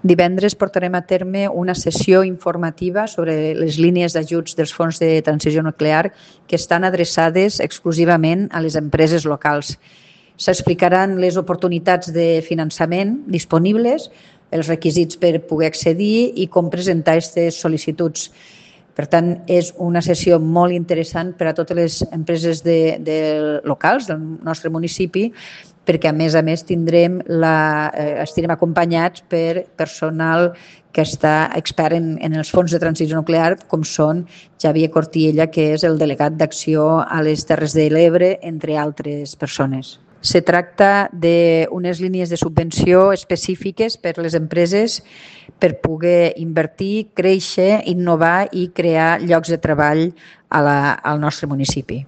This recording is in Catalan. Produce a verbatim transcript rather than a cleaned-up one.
Divendres portarem a terme una sessió informativa sobre les línies d'ajuts dels fons de transició nuclear que estan adreçades exclusivament a les empreses locals. S'explicaran les oportunitats de finançament disponibles, els requisits per poder accedir i com presentar aquestes sol·licituds. Per tant, és una sessió molt interessant per a totes les empreses de, de locals del nostre municipi, perquè a més a més tindrem la, eh, estarem acompanyats per personal que està expert en, en els fons de transició nuclear, com són Xavier Cortiella, que és el delegat d'acció a les Terres de l'Ebre, entre altres persones. Se tracta d'unes línies de subvenció específiques per a les empreses per poder invertir, créixer, innovar i crear llocs de treball a la, al nostre municipi.